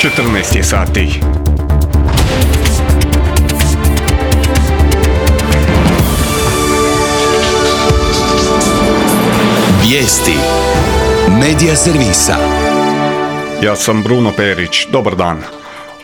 14 je sati. Vijesti Medija servisa. Ja sam Bruno Perić. Dobar dan.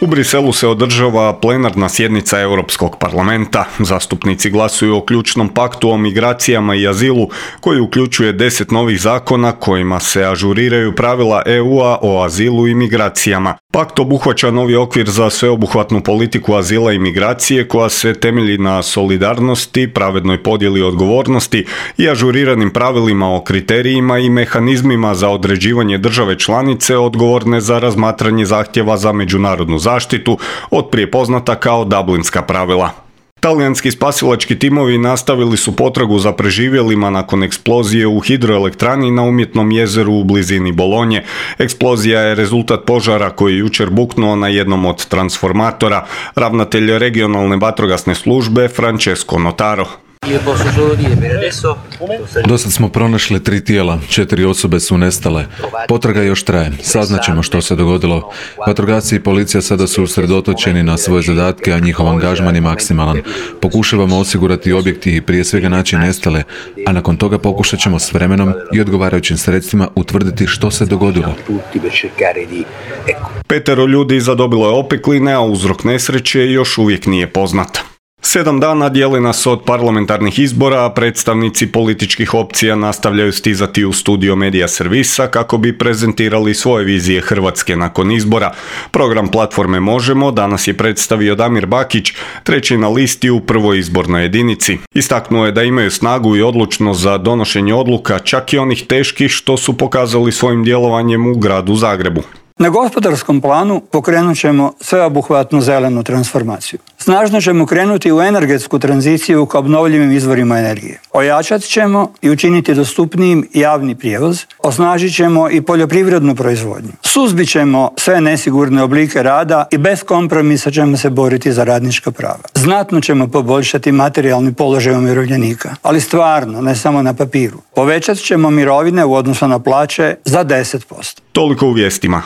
U Briselu se održava plenarna sjednica Europskog parlamenta. Zastupnici glasuju o ključnom paktu o migracijama i azilu koji uključuje 10 novih zakona kojima se ažuriraju pravila EU-a o azilu i migracijama. Pakt obuhvaća novi okvir za sveobuhvatnu politiku azila i migracije koja se temelji na solidarnosti, pravednoj podjeli odgovornosti i ažuriranim pravilima o kriterijima i mehanizmima za određivanje države članice odgovorne za razmatranje zahtjeva za međunarodnu zaštitu, otprije poznata kao Dublinska pravila. Talijanski spasilački timovi nastavili su potragu za preživjelima nakon eksplozije u hidroelektrani na umjetnom jezeru u blizini Bolonje. Eksplozija je rezultat požara koji je jučer buknuo na jednom od transformatora. Ravnatelj regionalne vatrogasne službe Francesco Notaro. Dosad smo pronašli 3 tijela, 4 osobe su nestale. Potraga još traje, saznaćemo što se dogodilo. Vatrogasci i policija sada su usredotočeni na svoje zadatke, a njihov angažman je maksimalan. Pokušavamo osigurati objekti i prije svega naći nestale, a nakon toga pokušat ćemo s vremenom i odgovarajućim sredstvima utvrditi što se dogodilo. 5 ljudi zadobilo je opekline, a uzrok nesreće još uvijek nije poznat. 7 dana dijele nas od parlamentarnih izbora, a predstavnici političkih opcija nastavljaju stizati u studio Medija servisa kako bi prezentirali svoje vizije Hrvatske nakon izbora. Program platforme Možemo danas je predstavio Damir Bakić, treći na listi u prvoj izbornoj jedinici. Istaknuo je da imaju snagu i odlučnost za donošenje odluka, čak i onih teških što su pokazali svojim djelovanjem u gradu Zagrebu. Na gospodarskom planu pokrenut ćemo sveobuhvatnu zelenu transformaciju. Snažno ćemo krenuti u energetsku tranziciju ka obnovljivim izvorima energije. Ojačat ćemo i učiniti dostupnijim javni prijevoz, osnažit ćemo i poljoprivrednu proizvodnju. Suzbit ćemo sve nesigurne oblike rada i bez kompromisa ćemo se boriti za radnička prava. Znatno ćemo poboljšati materijalni položaj umirovljenika, ali stvarno, ne samo na papiru. Povećat ćemo mirovine u odnosu na plaće za 10%. Toliko u vijestima.